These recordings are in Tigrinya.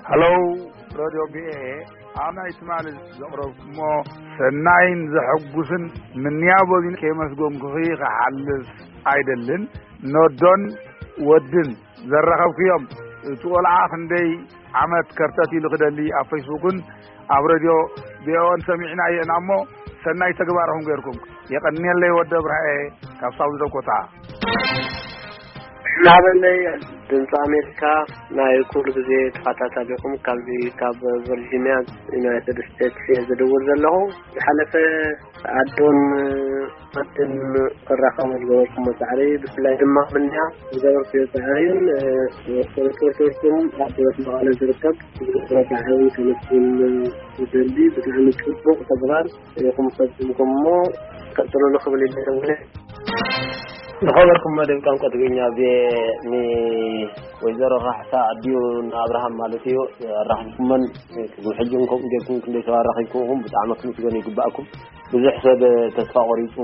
ሃሎ፣ ሬድዮ ቪኦኤ፣ ኣብ ናይ ትማሊ ዘቕረብኩሞ ሰናይን ዘሐጉስን ምንያቦ ከየመስገንኩኺ ክሓልፍ ኣይደልን። ኖዶን ወድን ዘራኸብኩዮም፣ እቲ ቆልዓ ክንደይ ዓመት ከርተት ኢሉ ክደሊ ኣብ ፌስቡክን ኣብ ሬድዮ ቪኦኤን ሰሚዕናዮ ኢና እሞ፣ ሰናይ ተግባርኹም ገይርኩም። የቐንየለይ ወዲ ኣብርሃኤ ካብ ሳውዝ ዳኮታ። ናበለይ ድምፂ ኣሜሪካ ናይ ኩሉ ግዜ ተኸታታሊኹም፣ ካብዚ ካብ ቨርጂኒያ ዩናይትድ ስቴትስ እየ ዝድውል ዘለኹ። ዝሓለፈ ኣዶን ኣትን ክራኸቡ ዝገበርኩሞ ጻዕሪ፣ ብፍላይ ድማ ምንያ ዝገበርኩዮ ጻዕሪን፣ እ፣ ሪፖርተርኩም ኣብ መቐለ ዝርከብ ዝገበሮ ጻዕሪ ከመስግን ይደሊ። ብጣዕሚ ጽቡቕ ተግባር ኢኹም ፈጺምኩሞ፣ ቀጽሉሉ ክብል ይደሊ። ዝኸበርኩም መደብ ቋንቋ ትግርኛ ብ-፣ ን-፣ ወይዘሮ ካሕሳ ኣዲኡ ንኣብርሃም ማለት እዩ፣ ኣራኺብኩመን። ክሳብ ሕጂ እንኮም ጌርኩም ክንደይ ሰብ ኣራኺብኩም ኢኹም፣ ብጣዕሚ ክምስገኑ ይግባእኩም። ብዙሕ ሰብ ተስፋ ቆሪጹ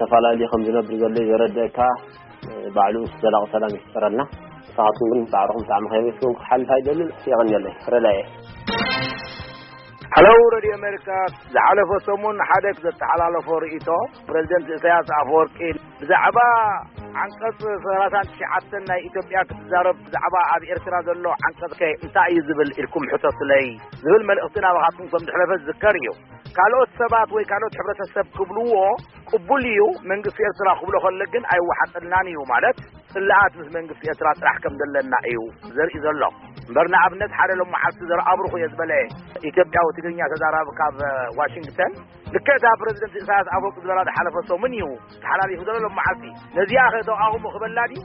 ተፈላለዩ ከም ዝነብር ዘሎ እዩ ዘረድአካ። ባዕሉ ምስ ዘላቂ ሰላም ይፍጠረልና። ንስኻትኩም ግን ጻዕርኹም ብጣዕሚ ከየመስገንኩ ክሓልፍ ኣይደልን። የቐንየለይ። ረዳየ። ሃሎ፣ ሬድዮ ኣሜሪካ። ዝሓለፈ ሰሙን ሓደ ዘተሓላለፎ ርእይቶ፣ ፕሬዚደንት ኢሳያስ ኣፈወርቂ ብዛዕባ ዓንቀጽ ሰላሳን ትሽዓተን ናይ ኢትዮጵያ ክትዛረብ፣ ብዛዕባ ኣብ ኤርትራ ዘሎ ዓንቀጽ ከ እንታይ እዩ ዝብል ኢልኩም ሕተቱለይ ዝብል መልእኽቲ ናባኻትኩም ከም ዝሕለፈ ዝዝከር እዩ። ካልኦት ሰባት ወይ ካልኦት ሕብረተሰብ ክብልዎ ቅቡል እዩ፣ መንግስቲ ኤርትራ ክብሎ ከሎ ግን ኣይወሓጠልናን እዩ፣ ማለት ጽልኣት ምስ መንግስቲ ኤርትራ ጥራሕ ከም ዘለና እዩ ዘርኢ ዘሎ። እምበር ንኣብነት ሓደ ሎም መዓልቲ ዘርኣብሩኽ እየ ዝበለ ኢትዮጵያዊ ትግርኛ ተዛራቢ ካብ ዋሽንግተን፣ ልክዕ እታ ፕረዚደንት ኢሳያስ ኣፈወርቂ ዝበላ ዝሓለፈ ሰሙን እዩ ተሓላሊፉ ዘሎ ሎም መዓልቲ። ነዚኣ ከ ተቃውሞ ክበላ ድዩ?